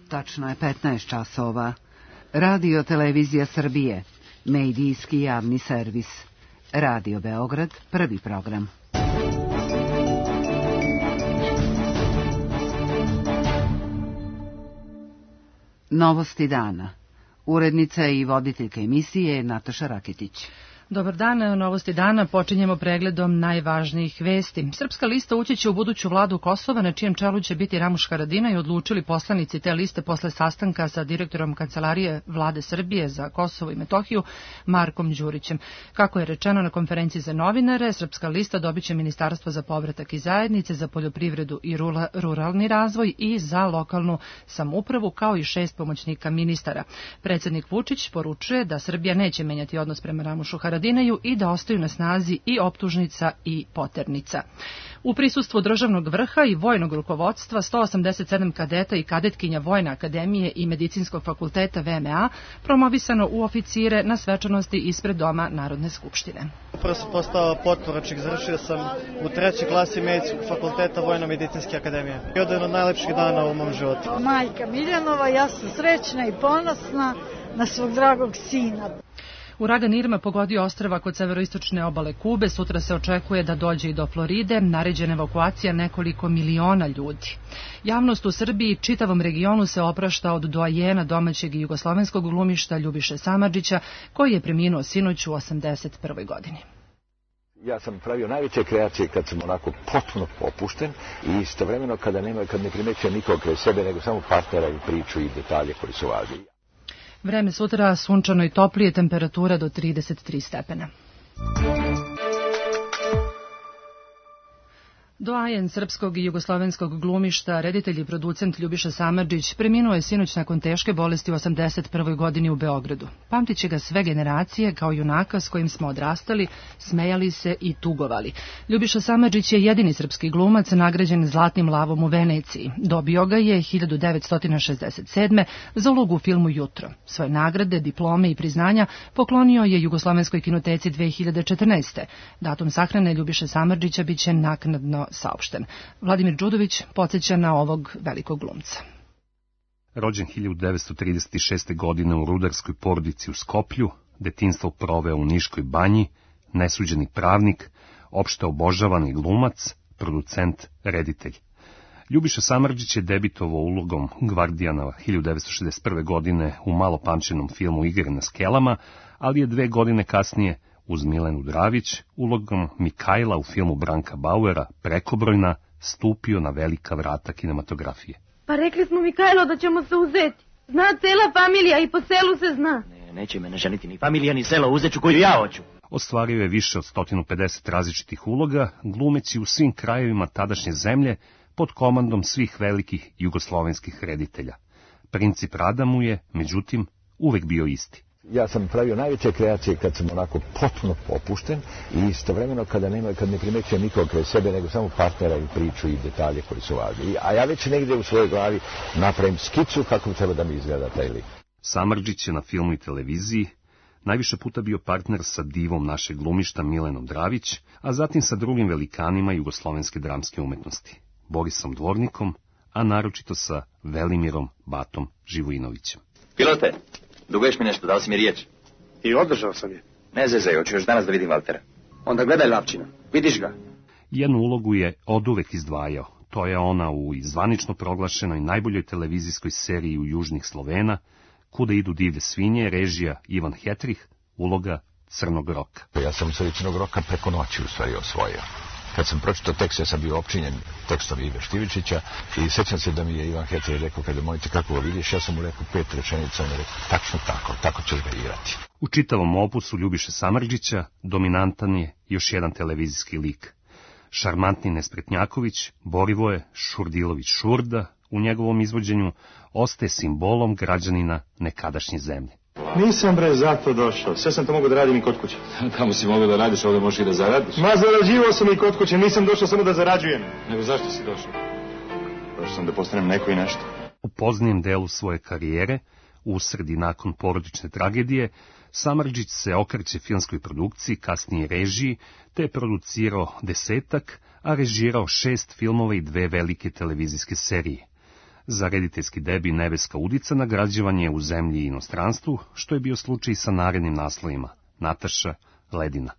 Tačno je 15 časova. Radio Televizija Srbije, medijski javni servis. Radio Beograd, prvi program. Novosti dana. Urednica i voditeljka emisije Nataša Raketić. Dobar dan, novosti dana počinjemo pregledom najvažnijih vesti. Srpska lista ući će u buduću vladu Kosova, na čijem čelu će biti Ramuš Haradinaj, odlučili poslanici te liste posle sastanka sa direktorom Kancelarije vlade Srbije za Kosovo i Metohiju, Markom Đurićem. Kako je rečeno na konferenciji za novinare, Srpska lista dobiće Ministarstvo za povratak i zajednice, za poljoprivredu i ruralni razvoj i za lokalnu samoupravu, kao i 6 pomoćnika ministara. Predsjednik Vučić poručuje da Srbija neće menjati odnos prema Ramušu Haradinaju i da ostaju na snazi i optužnica i poternica. U prisustvu državnog vrha i vojnog rukovodstva 187 kadeta i kadetkinja Vojne akademije i Medicinskog fakulteta VMA promovisano u oficire na svečanosti ispred Doma Narodne skupštine. Prvo sam postao potporučnik, završio sam u 3. klasi Medicinskog fakulteta Vojno-medicinske akademije. Jedan od najlepših dana u mom životu. Majka Miljanova, ja sam srećna i ponosna na svog dragog sina. Uragan Irma pogodio ostrva kod severoistočne obale Kube. Sutra se očekuje da dođe i do Floride. Naređena evakuacija nekoliko miliona ljudi. Javnost u Srbiji i čitavom regionu se oprašta od doajena domaćeg i jugoslovenskog glumišta Ljubiše Samardžića, koji je preminuo sinoć u 81. godini. Ja sam pravio najveće kreacije kad sam onako potpuno opušten i istovremeno kad ne primećujem nikog kraj sebe, nego samo partnera i priču i detalje koji su važni. Vreme sutra sunčano i toplije, temperatura do 33 stepena. Doajen srpskog i jugoslovenskog glumišta, reditelj i producent Ljubiša Samardžić preminuo je sinoć nakon teške bolesti u 81. godini u Beogradu. Pamtit će ga sve generacije kao junaka s kojim smo odrastali, smejali se i tugovali. Ljubiša Samardžić je jedini srpski glumac nagrađen Zlatnim lavom u Veneciji. Dobio ga je 1967. za ulogu u filmu Jutro. Svoje nagrade, diplome i priznanja poklonio je Jugoslovenskoj kinoteci 2014. Datum sahrane Ljubiše Samardžića biće naknadno saopšten. Vladimir Đudović podsjeća na ovog velikog glumca. Rođen 1936. godine u rudarskoj porodici u Skoplju, detinjstvo proveo u Niškoj banji, nesuđeni pravnik, opšte obožavani glumac, producent, reditelj. Ljubiša Samardžić je debitovao ulogom Gvardijana 1961. godine u malo pamćenom filmu Igre na skelama, ali je 2 godine kasnije uz Milenu Dravić, ulogom Mikajla u filmu Branka Bauera, Prekobrojna, stupio na velika vrata kinematografije. Pa rekli smo Mikajlo da ćemo se uzeti. Zna cela familija i po selu se zna. Neće me ne ženiti ni familija ni selo, uzet ću koju ja hoću. Ostvario je više od 150 različitih uloga, glumeći u svim krajevima tadašnje zemlje pod komandom svih velikih jugoslovenskih reditelja. Princip rada mu je, međutim, uvek bio isti. Ja sam pravio najveće kreacije kad sam onako potpuno opušten i istovremeno kad ne primećujem nikog kraj sebe, nego samo partnera i priču i detalje koji su važni. A ja već negdje u svojoj glavi napravim skicu kako treba da mi izgleda taj lik. Samardžić je na filmu i televiziji najviše puta bio partner sa divom našeg glumišta Milenom Dravić, a zatim sa drugim velikanima jugoslovenske dramske umetnosti, Borisom Dvornikom, a naročito sa Velimirom Batom Živojinovićem. Pilote, duguješ mi nešto, dao si mi riječ. I održao sam je. Ne zezaj, hoću još danas da vidim Valtera. Onda gledaj Lapčina, vidiš ga. Jednu ulogu je oduvek izdvajao. To je ona u zvanično proglašenoj najboljoj televizijskoj seriji u Južnih Slovena, Kuda idu divlje svinje, režija Ivan Hetrih, uloga Crnog roka. Ja sam se Crnog roka preko noći u stvari osvojio. Kad sam pročitao tekst, ja sam bio opčinjen tekstom Ive Štivičića i sjećam se da mi je Ivan Hetrih rekao, kada mojte kako ga vidiš, ja sam mu rekao 5 rečenica, on je rekao, tačno tako ćeš ga igrati. U čitavom opusu Ljubiše Samardžića dominantan je još jedan televizijski lik. Šarmantni Nespretnjaković, Borivoje Šurdilović Šurda, u njegovom izvođenju ostaje simbolom građanina nekadašnje zemlje. Nisam zato došao, sve sam to mogao da radim i kod kuće. Kamo si mogao da radiš, ovdje možeš i da zaradiš? Ma zarađivao sam i kod kuće, nisam došao samo da zarađujem. Nego zašto si došao? Došao sam da postanem neko i nešto. U poznijem delu svoje karijere, usred i nakon porodične tragedije, Samardžić se okreće filmskoj produkciji, kasnije režiji, te je producirao 10, a režirao 6 filmova i 2 velike televizijske serije. Za rediteljski debi Nebeska udica nagrađivan je u zemlji i inostranstvu, što je bio slučaj sa narednim naslovima Nataša, Ledina.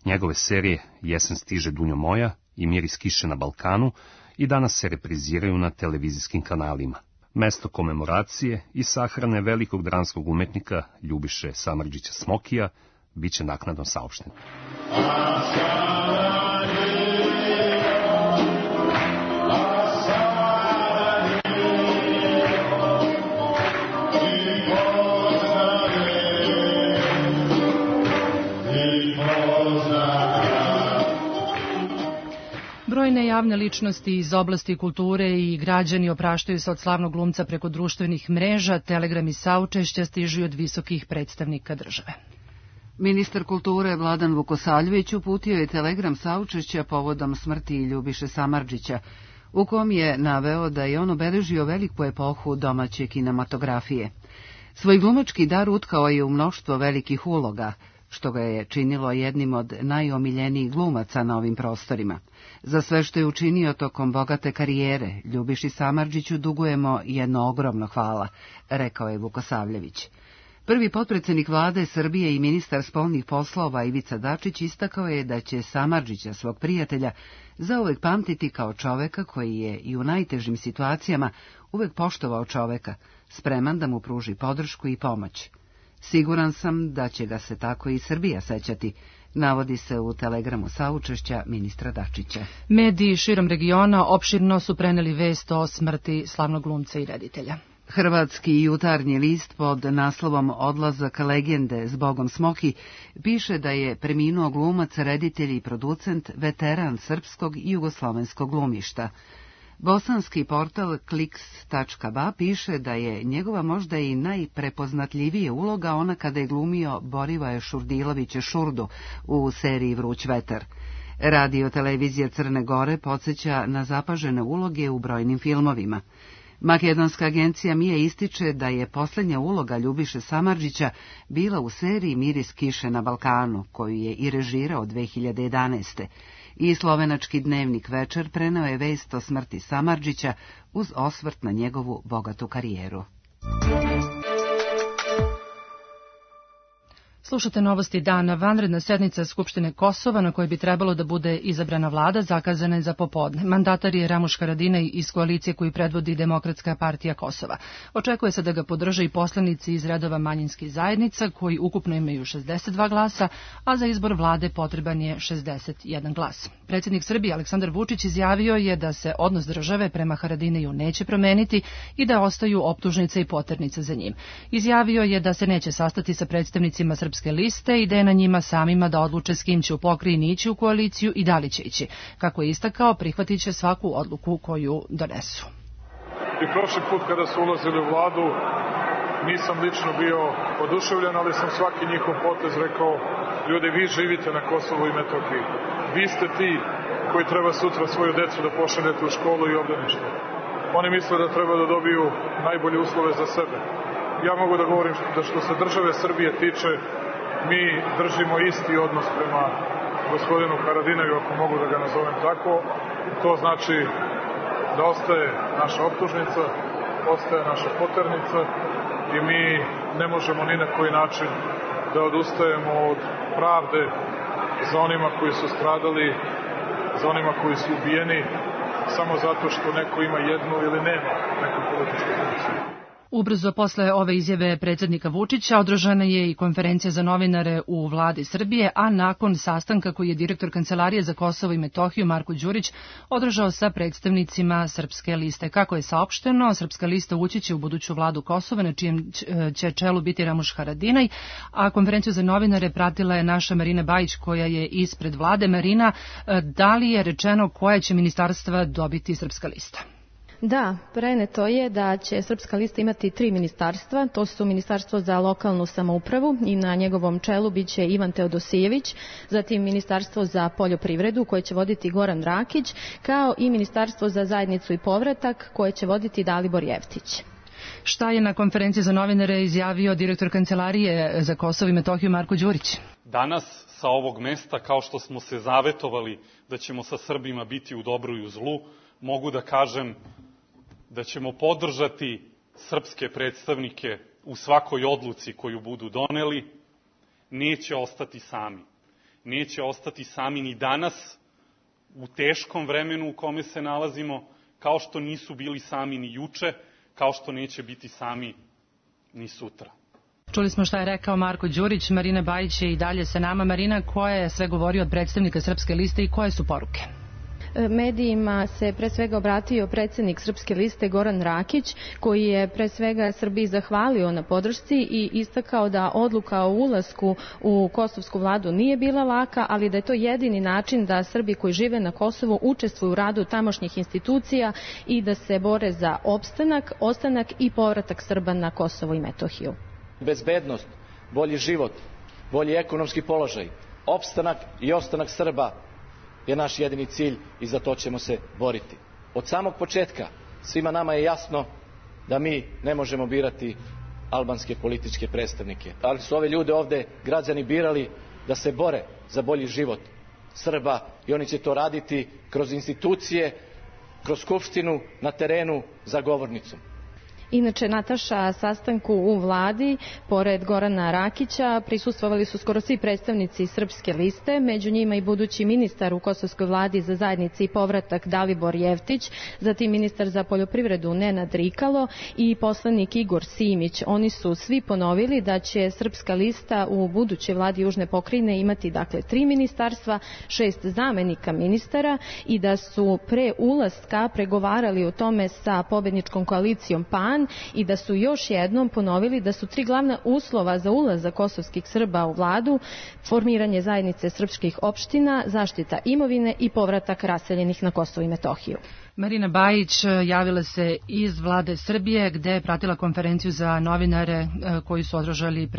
Njegove serije Jesen stiže Dunjo moja i Miris kiše na Balkanu i danas se repriziraju na televizijskim kanalima. Mesto komemoracije i sahrane velikog dramskog umetnika Ljubiše Samardžića Smokija biće naknadno saopšteno. Brojne javne ličnosti iz oblasti kulture i građani opraštaju se od slavnog glumca preko društvenih mreža, telegrami saučešća stižu od visokih predstavnika države. Ministar kulture Vladan Vukosavljević uputio je telegram saučešća povodom smrti Ljubiše Samardžića, u kom je naveo da je on obeležio veliku epohu domaće kinematografije. Svoj glumački dar utkao je u mnoštvo velikih uloga, što ga je činilo jednim od najomiljenijih glumaca na ovim prostorima. Za sve što je učinio tokom bogate karijere, Ljubiši Samardžiću dugujemo jedno ogromno hvala, rekao je Vukosavljević. Prvi potpredsjednik vlade Srbije i ministar spoljnih poslova Ivica Dačić istakao je da će Samardžića, svog prijatelja, zauvek pamtiti kao čoveka koji je i u najtežim situacijama uvek poštovao čoveka, spreman da mu pruži podršku i pomoć. Siguran sam da će ga se tako i Srbija sećati, navodi se u telegramu saučešća ministra Dačića. Mediji širom regiona opširno su preneli vest o smrti slavnog glumca i reditelja. Hrvatski jutarnji list pod naslovom Odlazak legende s Bogom Smoki piše da je preminuo glumac, reditelj i producent, veteran srpskog i jugoslovenskog glumišta. Bosanski portal Kliks.ba piše da je njegova možda i najprepoznatljivija uloga ona kada je glumio Borivoja Šurdilovića Šurdu u seriji Vruć vetar. Radio televizija Crne Gore podsjeća na zapažene uloge u brojnim filmovima. Makedonska agencija MIA ističe da je posljednja uloga Ljubiše Samardžića bila u seriji Miris kiše na Balkanu, koju je i režirao 2011. I slovenački dnevnik Večer preneo je vest o smrti Samardžića uz osvrt na njegovu bogatu karijeru. Slušate novosti dana. Vanredna sednica Skupštine Kosova, na kojoj bi trebalo da bude izabrana vlada, zakazana je za popodne. Mandatar je Ramuš Haradinaj iz koalicije koju predvodi Demokratska partija Kosova. Očekuje se da ga podrže i poslanici iz redova manjinskih zajednica, koji ukupno imaju 62 glasa, a za izbor vlade potreban je 61 glas. Predsjednik Srbije Aleksandar Vučić izjavio je da se odnos države prema Haradinaju neće promeniti i da ostaju optužnice i poternice za njim. Izjavio je da se neće sastati sa predstavnicima Srpske liste i da je na njima samima da odluče s kim će u pokrajini ići u koaliciju i da li će ići. Kako je istakao, prihvatit će svaku odluku koju donesu. I prošli put kada su ulazili u vladu, nisam lično bio oduševljen, ali sam svaki njihov potez rekao: ljudi, vi živite na Kosovu i Metohiji. Vi ste ti koji treba sutra svoju decu da pošaljete u školu i obdanište. Oni misle da treba da dobiju najbolje uslove za sebe. Ja mogu da govorim da što se države Srbije tiče, mi držimo isti odnos prema gospodinu Haradinaju, ako mogu da ga nazovem tako. To znači da ostaje naša optužnica, ostaje naša poternica i mi ne možemo ni na koji način da odustajemo od pravde za onima koji su stradali, za onima koji su ubijeni, samo zato što neko ima jednu ili nema neku političku funkciju. Ubrzo posle ove izjave predsjednika Vučića održana je i konferencija za novinare u vladi Srbije, a nakon sastanka koji je direktor Kancelarije za Kosovo i Metohiju Marko Đurić održao sa predstavnicima Srpske liste. Kako je saopšteno, Srpska lista ući će u buduću vladu Kosova, na čijem će čelu biti Ramuš Haradinaj, a konferenciju za novinare pratila je naša Marina Bajić, koja je ispred vlade. Marina, da li je rečeno koje će ministarstva dobiti Srpska lista? Da, preneto je da će Srpska lista imati 3 ministarstva, to su Ministarstvo za lokalnu samoupravu i na njegovom čelu biće Ivan Teodosijević, zatim Ministarstvo za poljoprivredu koje će voditi Goran Rakić, kao i Ministarstvo za zajednicu i povratak koje će voditi Dalibor Jevtić. Šta je na konferenciji za novinare izjavio direktor Kancelarije za Kosovo i Metohiju Marko Đurić? Danas sa ovog mesta, kao što smo se zavetovali da ćemo sa Srbima biti u dobru i u zlu, mogu da kažem da ćemo podržati srpske predstavnike u svakoj odluci koju budu doneli, neće ostati sami. Neće ostati sami ni danas, u teškom vremenu u kome se nalazimo, kao što nisu bili sami ni juče, kao što neće biti sami ni sutra. Čuli smo šta je rekao Marko Đurić, Marina Bajić je i dalje sa nama. Marina, ko je sve govorio od predstavnika Srpske liste i koje su poruke? Medijima se pre svega obratio predsednik Srpske liste Goran Rakić, koji je pre svega Srbiji zahvalio na podršci i istakao da odluka o ulasku u kosovsku vladu nije bila laka, ali da je to jedini način da Srbi koji žive na Kosovu učestvuju u radu tamošnjih institucija i da se bore za opstanak, ostanak i povratak Srba na Kosovo i Metohiju. Bezbednost, bolji život, bolji ekonomski položaj, opstanak i ostanak Srba je naš jedini cilj i za to ćemo se boriti. Od samog početka svima nama je jasno da mi ne možemo birati albanske političke predstavnike, ali su ove ljude ovde građani birali da se bore za bolji život Srba i oni će to raditi kroz institucije, kroz skupštinu, na terenu, za govornicom. Inače, Nataša, sastanku u vladi, pored Gorana Rakića, prisustvovali su skoro svi predstavnici Srpske liste, među njima i budući ministar u kosovskoj vladi za zajednici i povratak Dalibor Jeftić, zatim ministar za poljoprivredu Nenad Rikalo i poslanik Igor Simić. Oni su svi ponovili da će Srpska lista u budućoj vladi Južne pokrajine imati 3 ministarstva, 6 zamenika ministara i da su pre ulaska pregovarali o tome sa pobedničkom koalicijom PAN i da su još jednom ponovili da su 3 glavna uslova za ulazak kosovskih Srba u vladu: formiranje zajednice srpskih opština, zaštita imovine i povratak raseljenih na Kosovo i Metohiju. Marina Bajić javila se iz vlade Srbije, gde je pratila konferenciju za novinare koju su održali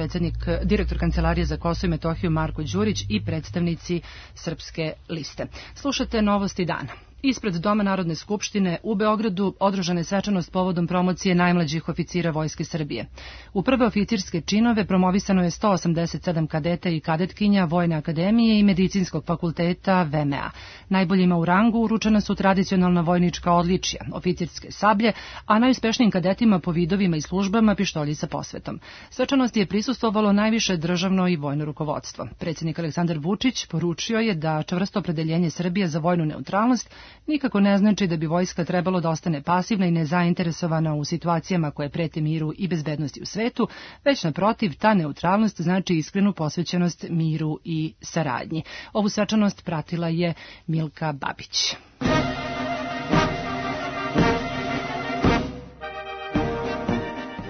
direktor Kancelarije za Kosovo i Metohiju Marko Đurić i predstavnici Srpske liste. Slušate Novosti dana. Ispred Doma Narodne skupštine u Beogradu održana je svečanost povodom promocije najmlađih oficira Vojske Srbije. U prve oficirske činove promovisano je 187 kadeta i kadetkinja Vojne akademije i Medicinskog fakulteta VMA. Najboljima u rangu uručena su tradicionalna vojnička odličja, oficirske sablje, a najuspešnijim kadetima po vidovima i službama pištolji sa posvetom. Svečanosti je prisustvovalo najviše državno i vojno rukovodstvo. Predsjednik Aleksandar Vučić poručio je da čvrsto opredeljenje Srbije za vojnu neutralnost nikako ne znači da bi vojska trebalo da ostane pasivna i nezainteresovana u situacijama koje prete miru i bezbednosti u svetu, već naprotiv, ta neutralnost znači iskrenu posvećenost miru i saradnji. Ovu svečanost pratila je Milka Babić.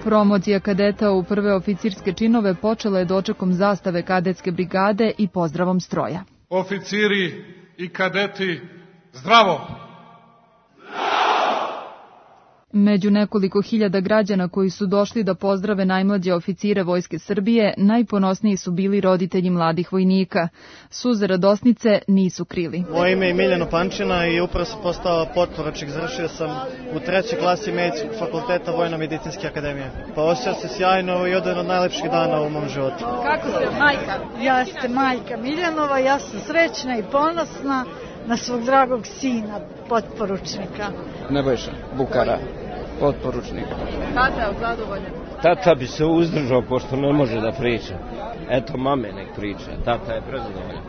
Promocija kadeta u prve oficirske činove počela je dočekom zastave kadetske brigade i pozdravom stroja. Oficiri i kadeti, zdravo! Među nekoliko hiljada građana koji su došli da pozdrave najmlađe oficire Vojske Srbije, najponosniji su bili roditelji mladih vojnika. Suze radosnice nisu krili. Moje ime je Miljano Pančina i upravo sam postao potporučnik. Završio sam u 3. klasi Medicinskog fakulteta Vojno-medicinske akademije. Pa osjećam se sjajno i jedan od najlepših dana u mom životu. Kako ste majka? Ja ste majka Miljanova, ja sam srećna i ponosna na svog dragog sina, potporučnika. Nebojša Bukara, potporučnika. Tata je zadovoljan? Tata bi se uzdržao, pošto ne može da priča. Eto, mame nek priča, tata je prezadovoljan.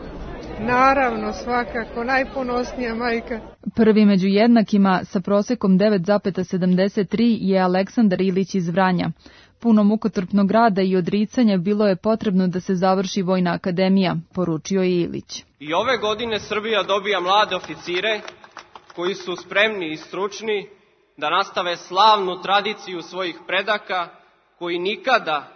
Naravno, svakako, najponosnija majka. Prvi među jednakima sa prosekom 9,73 je Aleksandar Ilić iz Vranja. Puno mukotrpnog rada i odricanja bilo je potrebno da se završi Vojna akademija, poručio je Ilić. I ove godine Srbija dobija mlade oficire koji su spremni i stručni da nastave slavnu tradiciju svojih predaka koji nikada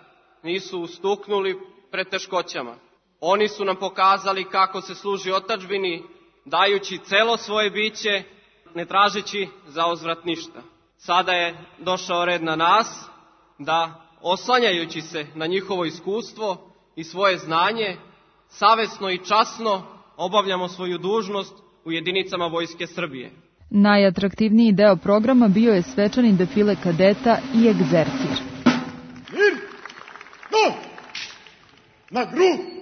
nisu ustuknuli pred teškoćama. Oni su nam pokazali kako se služi otadžbini, dajući celo svoje biće, ne tražeći za uzvrat ništa. Sada je došao red na nas da, oslanjajući se na njihovo iskustvo i svoje znanje, savesno i časno obavljamo svoju dužnost u jedinicama Vojske Srbije. Najatraktivniji deo programa bio je svečani defile kadeta i egzercir. Mir! No! Na grudi!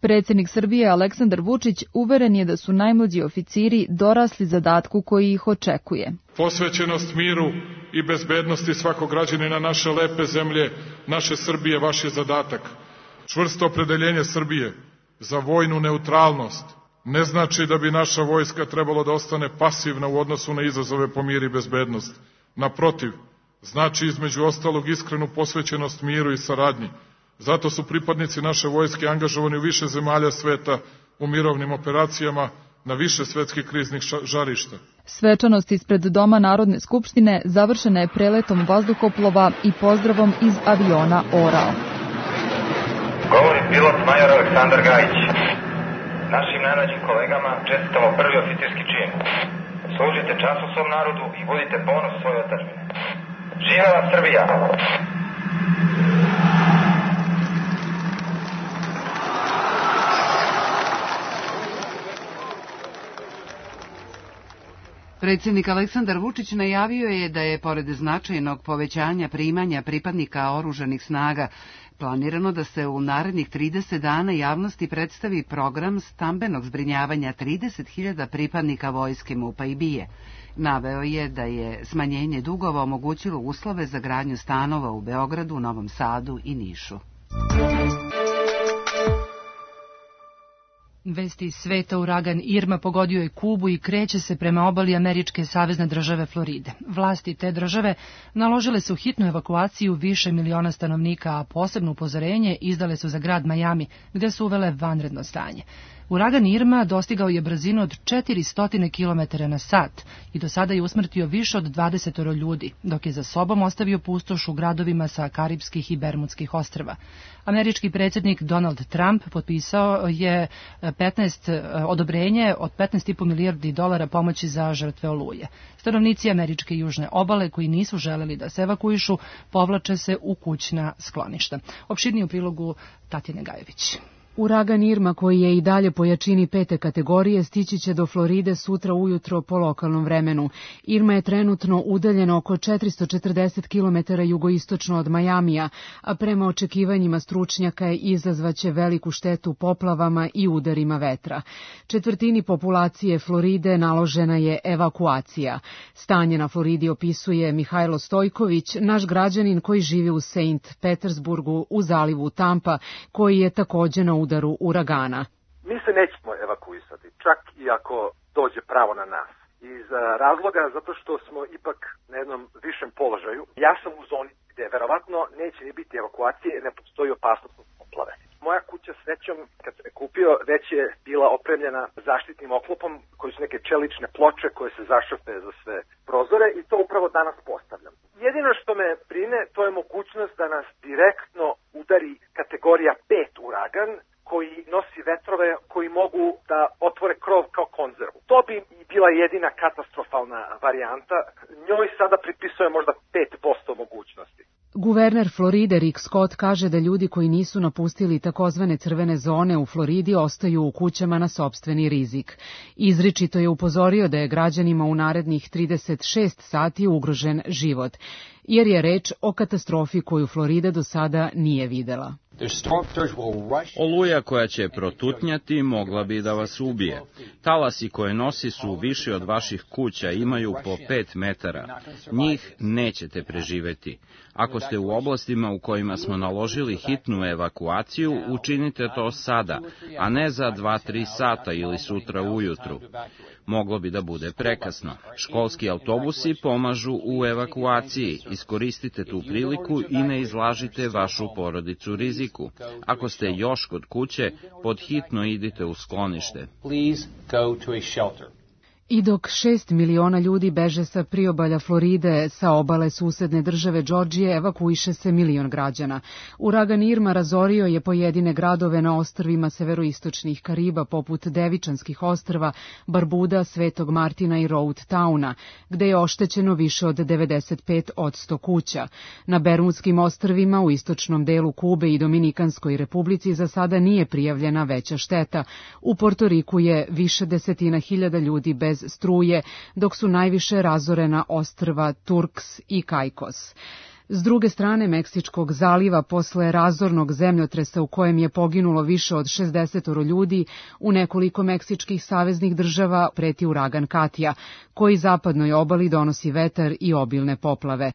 Predsjednik Srbije Aleksandar Vučić uveren je da su najmlađi oficiri dorasli zadatku koji ih očekuje. Posvećenost miru i bezbednosti svakog građanina naše lepe zemlje, naše Srbije, vaš je zadatak. Čvrsto opredeljenje Srbije za vojnu neutralnost ne znači da bi naša vojska trebalo da ostane pasivna u odnosu na izazove po mir i bezbednost. Naprotiv, znači između ostalog iskrenu posvećenost miru i saradnji. Zato su pripadnici naše vojske angažovani u više zemalja sveta u mirovnim operacijama na više svetskih kriznih žarišta. Svečanost ispred Doma Narodne skupštine završena je preletom vazduhoplova i pozdravom iz aviona Orao. Govori pilot major Aleksandar Gajić. Našim najmlađim kolegama čestitamo prvi oficirski čin. Služite času svom narodu i budite ponos svoje otadžbine. Živela Srbija! Predsjednik Aleksandar Vučić najavio je da je, pored značajnog povećanja primanja pripadnika oružanih snaga, planirano da se u narednih 30 dana javnosti predstavi program stambenog zbrinjavanja 30.000 pripadnika vojske MUP-a i BIA. Naveo je da je smanjenje dugova omogućilo uslove za gradnju stanova u Beogradu, Novom Sadu i Nišu. Vesti iz sveta: uragan Irma pogodio je Kubu i kreće se prema obali američke savezne države Floride. Vlasti te države naložile su hitnu evakuaciju više miliona stanovnika, a posebno upozorenje izdale su za grad Miami, gde su uvele vanredno stanje. Uragan Irma dostigao je brzinu od 400 km na sat i do sada je usmrtio više od 20 ljudi, dok je za sobom ostavio pustoš u gradovima sa Karipskih i Bermudskih ostrva. Američki predsjednik Donald Trump potpisao je odobrenje od $15,5 milijardi pomoći za žrtve oluje. Stanovnici američke južne obale koji nisu želeli da se evakuišu povlače se u kućna skloništa. Opširnije u prilogu Tatjane Gajević. Uragan Irma, koji je i dalje po jačini 5. kategorije, stići će do Floride sutra ujutro po lokalnom vremenu. Irma je trenutno udaljena oko 440 km jugoistočno od Majamija, a prema očekivanjima stručnjaka je izazvaće veliku štetu poplavama i udarima vetra. Četvrtini populacije Floride naložena je evakuacija. Stanje na Floridi opisuje Mihajlo Stojković, naš građanin koji živi u St. Petersburgu u zalivu Tampa, koji je također na udaru uragana. Mi se nećemo evakuisati, čak i ako dođe pravo na nas. Iz razloga zato što smo ipak na jednom višem položaju. Ja sam u zoni gde verovatno neće ni biti evakuacije, ne postoji opasnost od poplave. Moja kuća srećom, kad sam je kupio, već je bila opremljena zaštitnim oklopom koji su neke čelične ploče koje se zašrpe za sve prozore i to upravo danas postavljam. Jedino što me brine, to je mogućnost da nas direktno udari kategorija 5 uragan koji nosi vetrove koji mogu da otvore krov kao konzervu. To bi bila jedina katastrofalna varijanta. Njoj sada pripisuje možda 5% mogućnosti. Guverner Floride Rick Scott kaže da ljudi koji nisu napustili takozvane crvene zone u Floridi ostaju u kućama na sopstveni rizik. Izričito je upozorio da je građanima u narednih 36 sati ugrožen život, jer je reč o katastrofi koju Florida do sada nije videla. Oluja koja će protutnjati mogla bi da vas ubije. Talasi koje nosi su viši od vaših kuća, imaju po 5 metara. Njih nećete preživeti. Ako ste u oblastima u kojima smo naložili hitnu evakuaciju, učinite to sada, a ne za 2-3 sata ili sutra ujutru. Moglo bi da bude prekasno. Školski autobusi pomažu u evakuaciji. Iskoristite tu priliku i ne izlažite vašu porodicu riziku. Ako ste još kod kuće, podhitno idite u sklonište. I dok 6 miliona ljudi beže sa priobalja Floride, sa obale susedne države Džordžije evakuiše se milion građana. Uragan Irma razorio je pojedine gradove na ostrvima severoistočnih Kariba, poput Devičanskih ostrva, Barbuda, Svetog Martina i Road Towna, gde je oštećeno više od 95% kuća. Na Bermudskim ostrvima, u istočnom delu Kube i Dominikanskoj republici za sada nije prijavljena veća šteta. U Portoriku je više desetina hiljada ljudi bez struje, dok su najviše razorena ostrva Turks i Caicos. S druge strane Meksičkog zaliva, posle razornog zemljotresa u kojem je poginulo više od 60 ljudi, u nekoliko meksičkih saveznih država preti uragan Katja, koji zapadnoj obali donosi vetar i obilne poplave.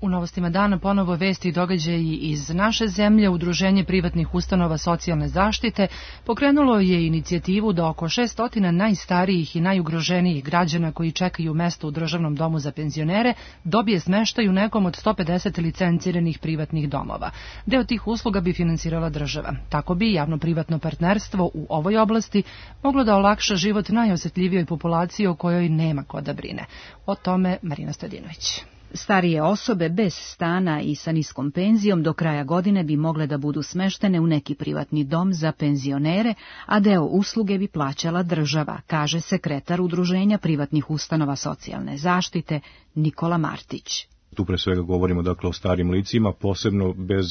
U novostima dana ponovo vesti i događaji iz naše zemlje. Udruženje privatnih ustanova socijalne zaštite pokrenulo je inicijativu da oko 600 najstarijih i najugroženijih građana koji čekaju mesto u državnom domu za penzionere dobije smeštaj u nekom od 150 licenciranih privatnih domova. Deo tih usluga bi finansirala država. Tako bi javno-privatno partnerstvo u ovoj oblasti moglo da olakša život najosetljivijoj populaciji o kojoj nema ko da brine. O tome Marina Stojadinović. Starije osobe bez stana i sa niskom penzijom do kraja godine bi mogle da budu smeštene u neki privatni dom za penzionere, a deo usluge bi plaćala država, kaže sekretar Udruženja privatnih ustanova socijalne zaštite Nikola Martić. Tu pre svega govorimo dakle o starim licima, posebno bez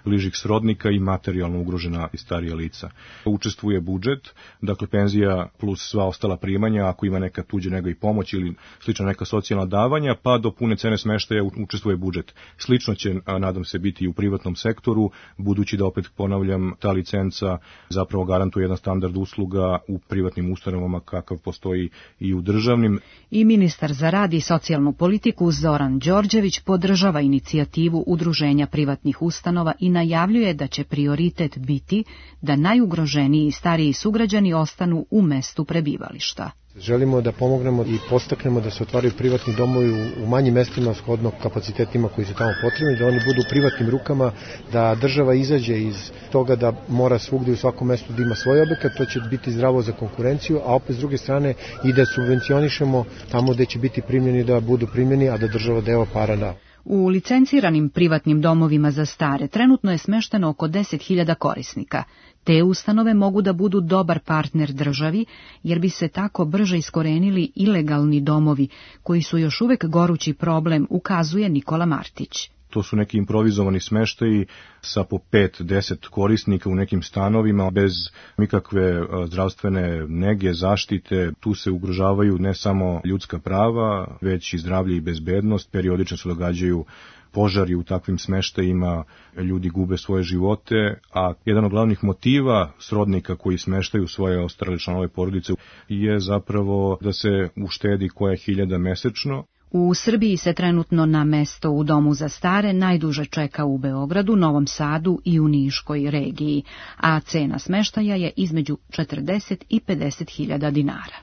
bližih srodnika i materijalno ugrožena i starija lica. Učestvuje budžet, dakle penzija plus sva ostala primanja, ako ima neka tuđa nega i pomoć ili slična neka socijalna davanja, pa do pune cene smeštaja učestvuje budžet. Slično će, nadam se, biti i u privatnom sektoru, budući da, opet ponavljam, ta licenca zapravo garantuje jedan standard usluga u privatnim ustanovama kakav postoji i u državnim. I ministar za rad i socijalnu politiku Zoran Đorđević podržava inicijativu Udruženja privatnih ustanova i najavljuje da će prioritet biti da najugroženiji stariji sugrađani ostanu u mestu prebivališta. Želimo da pomognemo i podstaknemo da se otvaraju privatni domovi u manjim mestima shodno kapacitetima koji su tamo potrebni, da oni budu u privatnim rukama, da država izađe iz toga da mora svugde u svakom mestu da ima svoj objekat, to će biti zdravo za konkurenciju, a opet s druge strane i da subvencionišemo tamo gde će biti primljeni da budu primljeni, a da država deo para da. U licenciranim privatnim domovima za stare trenutno je smešteno oko 10.000 korisnika. Te ustanove mogu da budu dobar partner državi, jer bi se tako brže iskorenili ilegalni domovi, koji su još uvek gorući problem, ukazuje Nikola Martić. To su neki improvizovani smeštaji sa po 5-10 korisnika u nekim stanovima, bez nikakve zdravstvene nege, zaštite. Tu se ugrožavaju ne samo ljudska prava, već i zdravlje i bezbednost. Periodično se događaju požari u takvim smeštajima, ljudi gube svoje živote, a jedan od glavnih motiva srodnika koji smeštaju svoje ostale članove porodice je zapravo da se uštedi koja 1000 mesečno. U Srbiji se trenutno na mesto u domu za stare najduže čeka u Beogradu, Novom Sadu i u Niškoj regiji, a cena smeštaja je između 40 i 50.000 dinara.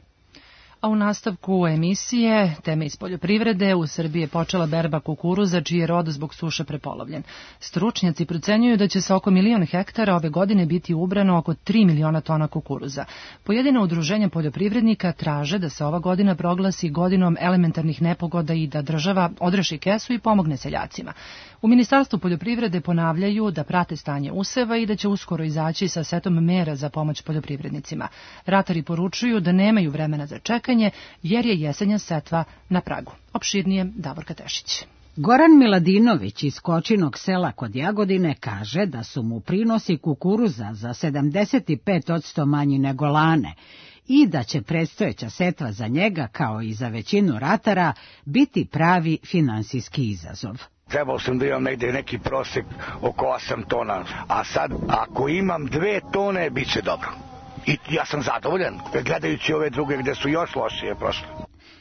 A u nastavku emisije, teme iz poljoprivrede, u Srbiji je počela berba kukuruza, čiji je rod zbog suše prepolovljen. Stručnjaci procenjuju da će se oko 1.000.000 hektara ove godine biti ubrano oko 3 miliona tona kukuruza. Pojedina udruženja poljoprivrednika traže da se ova godina proglasi godinom elementarnih nepogoda i da država odreši kesu i pomogne seljacima. U Ministarstvu poljoprivrede ponavljaju da prate stanje useva i da će uskoro izaći sa setom mera za pomoć poljoprivrednicima. Ratari poručuju da nemaju vremena za čekanje, jer je jesenja setva na pragu. Opširnije Davorka Tešić. Goran Miladinović iz Kočinog sela kod Jagodine kaže da su mu prinosi kukuruza za 75% manji nego lane i da će predstojeća setva za njega, kao i za većinu ratara, biti pravi finansijski izazov. Trebao sam da imam negde neki prosek oko 8 tona, a sad ako imam 2 tone, bit će dobro. I ja sam zadovoljan, gledajući ove druge gde su još lošije prošle.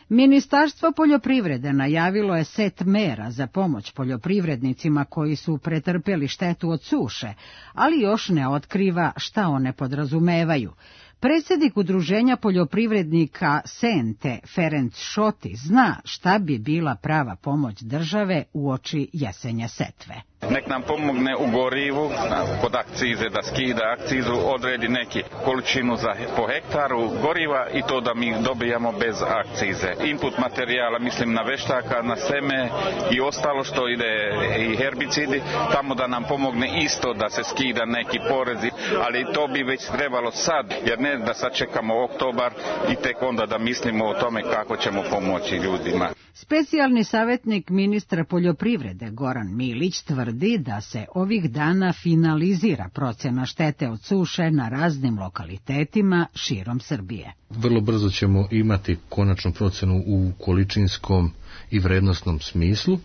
Ministarstvo poljoprivrede najavilo je set mera za pomoć poljoprivrednicima koji su pretrpeli štetu od suše, ali još ne otkriva šta one podrazumevaju. Predsjednik Udruženja poljoprivrednika Sente, Ferenc Šoti, zna šta bi bila prava pomoć države uoči jesenje setve. Nek nam pomogne u gorivu, kod akcize, da skida akcizu, odredi neki količinu po hektaru goriva i to da mi dobijamo bez akcize. Input materijala, mislim na veštaka, na seme i ostalo što ide i herbicidi, tamo da nam pomogne isto da se skida neki porezi, ali to bi već trebalo sad, jer ne da sad čekamo oktobar i tek onda da mislimo o tome kako ćemo pomoći ljudima. Specijalni savjetnik ministra poljoprivrede Goran Milić tvrdi da se ovih dana finalizira procena štete od suše na raznim lokalitetima širom Srbije. Vrlo brzo ćemo imati konačnu procenu u količinskom i vrednosnom smislu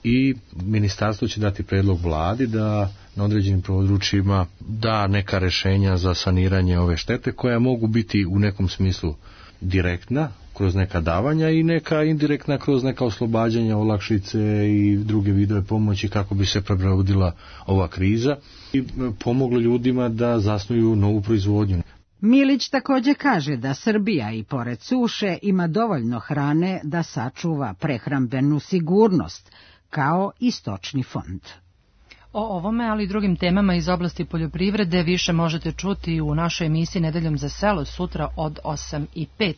i ministarstvo će dati predlog vladi da na određenim područjima da neka rešenja za saniranje ove štete koja mogu biti u nekom smislu direktna kroz neka davanja i neka indirektna kroz neka oslobađanja, olakšice i druge vidove pomoći kako bi se prebrodila ova kriza i pomoglo ljudima da zasnuju novu proizvodnju. Milić također kaže da Srbija i pored suše ima dovoljno hrane da sačuva prehrambenu sigurnost, kao i stočni fond. O ovome, ali i drugim temama iz oblasti poljoprivrede više možete čuti u našoj emisiji Nedeljom za selo sutra od 8:05.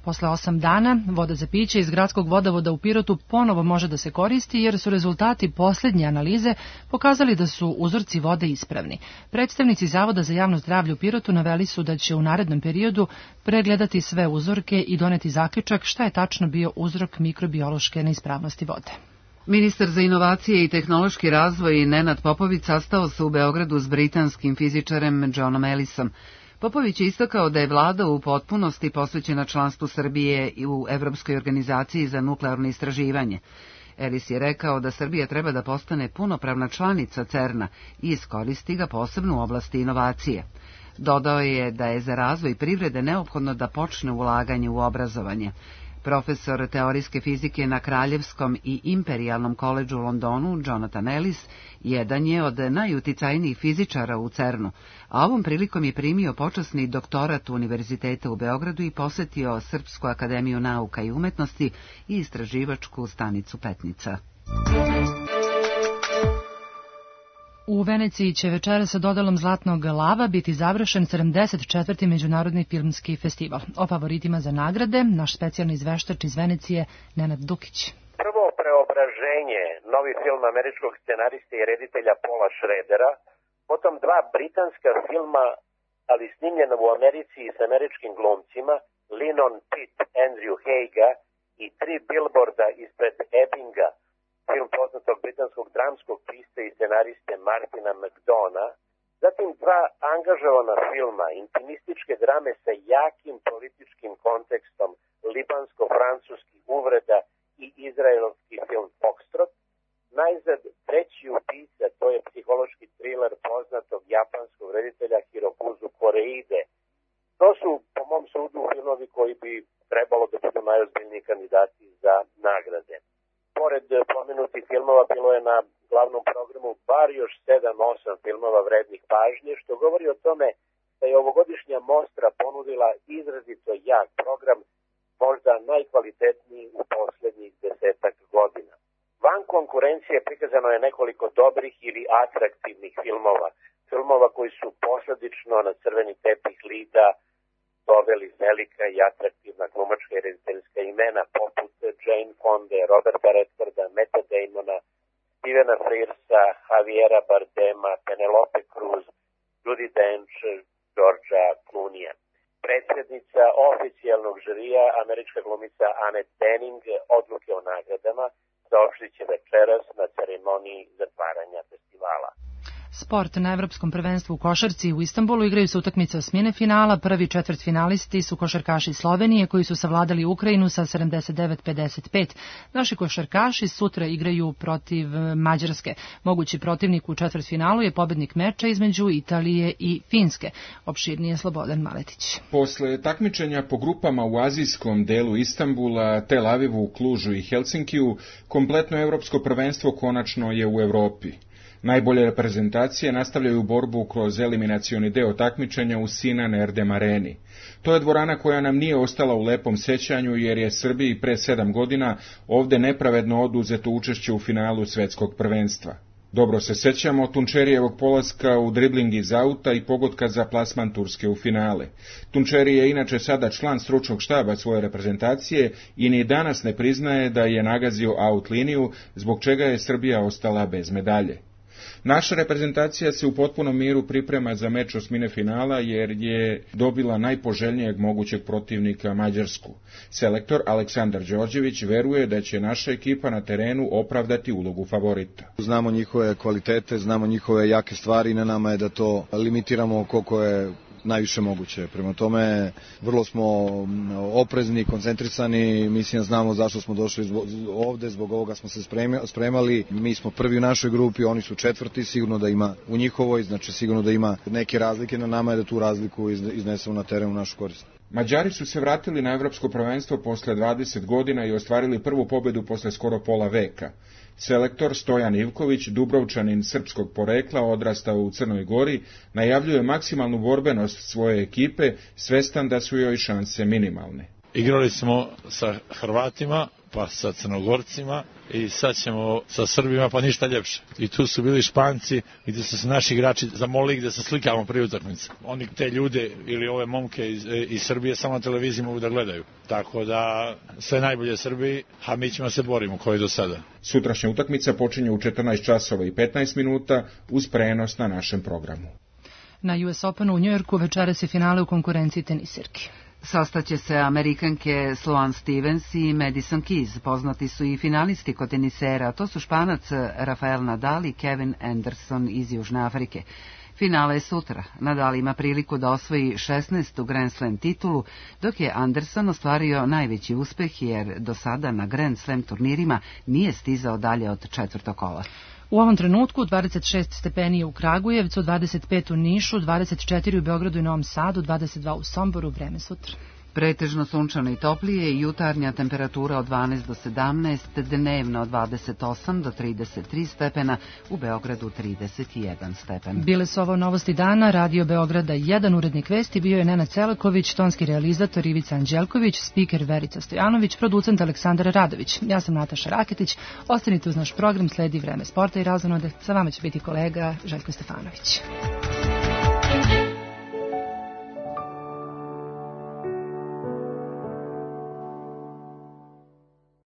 Posle 8 dana voda za piće iz gradskog vodovoda u Pirotu ponovo može da se koristi jer su rezultati posljednje analize pokazali da su uzorci vode ispravni. Predstavnici Zavoda za javno zdravlje u Pirotu naveli su da će u narednom periodu pregledati sve uzorke i doneti zaključak šta je tačno bio uzrok mikrobiološke neispravnosti vode. Ministar za inovacije i tehnološki razvoj Nenad Popović sastao se u Beogradu s britanskim fizičarem Johnom Ellisom. Popović je istakao da je vlada u potpunosti posvećena članstvu Srbije u Evropskoj organizaciji za nuklearno istraživanje. Ellis je rekao da Srbija treba da postane punopravna članica CERN-a i iskoristi ga posebno u oblasti inovacije. Dodao je da je za razvoj privrede neophodno da počne ulaganje u obrazovanje. Profesor teorijske fizike na Kraljevskom i Imperijalnom koledžu u Londonu, Jonathan Ellis, jedan je od najuticajnijih fizičara u CERN-u, a ovom prilikom je primio počasni doktorat Univerziteta u Beogradu i posetio Srpsku akademiju nauka i umetnosti i istraživačku stanicu Petnica. U Veneciji će večera sa dodelom Zlatnog lava biti završen 74. Međunarodni filmski festival. O favoritima za nagrade naš specijalni izveštač iz Venecije Nenad Dukić. Prvo preobraženje, novi film američkog scenariste i reditelja Paula Schradera, potom dva britanska filma, ali snimljena u Americi i s američkim glumcima, Linon Pitt, Andrew Haiga i 3 bilborda ispred Ebbinga, film poznatog britanskog dramskog pista i scenariste Martina McDona, zatim dva angažovana filma, intimističke drame sa jakim političkim kontekstom, libansko-francuskih uvreda i izraelski film Foxtrot, najzad treći ubica, to je psihološki thriller poznatog japanskog reditelja Hirokuzu Koreide. To su, po mom sudu, filmovi koji bi trebalo da budu najozbiljniji kandidati za nagrade. Pored pomenutih filmova bilo je na glavnom programu bar još 7-8 filmova vrednih pažnje, što govori o tome da je ovogodišnja mostra ponudila izrazito jak program, možda najkvalitetniji u posljednjih 10 godina. Van konkurencije prikazano je nekoliko dobrih ili atraktivnih filmova koji su posledično na crveni tepih lida doveli velika i atraktivna glumačka i rediteljska imena poput Jane Fonde, Roberta Redforda, Metta Damona, Stevena Frearsa, Javiera Bardema, Penelope Cruz, Judi Dench, Georgea Clooneyja. Predsjednica oficijalnog žirija, američka glumica Annette Bening, odluke o nagradama saopštit će večeras na ceremoniji zatvaranja festivala. Sport. Na Evropskom prvenstvu u košarci u Istanbulu igraju se utakmice osmine finala. Prvi četvrtfinalisti su košarkaši Slovenije koji su savladali Ukrajinu sa 79-55. Naši košarkaši sutra igraju protiv Mađarske. Mogući protivnik u četvrtfinalu je pobednik meča između Italije i Finske. Opširnije Slobodan Maletić. Posle takmičenja po grupama u azijskom delu Istanbula, Tel Avivu, Klužu i Helsinkiju, kompletno evropsko prvenstvo konačno je u Evropi. Najbolje reprezentacije nastavljaju borbu kroz eliminacioni deo takmičenja u Sinan Erdem Areni. To je dvorana koja nam nije ostala u lepom sećanju jer je Srbiji pre 7 godina ovde nepravedno oduzeto učešće u finalu svetskog prvenstva. Dobro se sećamo Tunčerijevog polaska u dribling iz auta i pogotka za plasman Turske u finale. Tunčeri je inače sada član stručnog štaba svoje reprezentacije i ni danas ne priznaje da je nagazio out liniju, zbog čega je Srbija ostala bez medalje. Naša reprezentacija se u potpunom miru priprema za meč osmine finala jer je dobila najpoželjnijeg mogućeg protivnika Mađarsku. Selektor Aleksandar Đorđević veruje da će naša ekipa na terenu opravdati ulogu favorita. Znamo njihove kvalitete, znamo njihove jake stvari, na nama je da to limitiramo koliko je najviše moguće. Prema tome, vrlo smo oprezni, koncentrisani, mislim znamo zašto smo došli ovde, zbog ovoga smo se spremali, mi smo prvi u našoj grupi, oni su četvrti, sigurno da ima u njihovoj, znači sigurno da ima neke razlike, na nama je da tu razliku iznesemo na teren u našu korist. Mađari su se vratili na evropsko prvenstvo posle 20 godina i ostvarili prvu pobedu posle skoro pola veka. Selektor Stojan Ivković, Dubrovčanin srpskog porekla, odrastao u Crnoj Gori, najavljuje maksimalnu borbenost svoje ekipe, svestan da su joj šanse minimalne. Igrali smo sa Hrvatima, pa sa Crnogorcima i sad ćemo sa Srbima, pa ništa ljepše. I tu su bili Španci gdje su se naši igrači zamolili gdje se slikamo prije utakmice. Oni te ljude ili ove momke iz Srbije samo na televiziji mogu da gledaju. Tako da sve najbolje Srbiji, a mi ćemo se borimo kao i do sada. Sutrašnja utakmica počinje u 14 časova i 15 minuta uz prenos na našem programu. Na US Openu u Njujorku večeras je finale u konkurenciji tenisirki. Sastaće se Amerikanke Sloane Stevens i Madison Keys. Poznati su i finalisti kod tenisera, to su Španac Rafael Nadal i Kevin Anderson iz Južne Afrike. Finale je sutra. Nadal ima priliku da osvoji 16. Grand Slam titulu, dok je Anderson ostvario najveći uspeh jer do sada na Grand Slam turnirima nije stizao dalje od četvrtog kola. U ovom trenutku 26 stepeni u Kragujevcu, 25 u Nišu, 24 u Beogradu i Novom Sadu, 22 u Somboru, vreme sutra. Pretežno sunčano i toplije i jutarnja temperatura od 12 do 17, dnevno od 28 do 33 stepena, u Beogradu 31 stepen. Bile su ovo novosti dana, Radio Beograda 1, urednik vesti bio je Nenad Celaković, tonski realizator Ivica Anđelković, spiker Verica Stojanović, producent Aleksandar Radović. Ja sam Nataša Raketić, ostanite uz naš program, sledi vreme sporta i razonode, sa vama će biti kolega Željko Stefanović.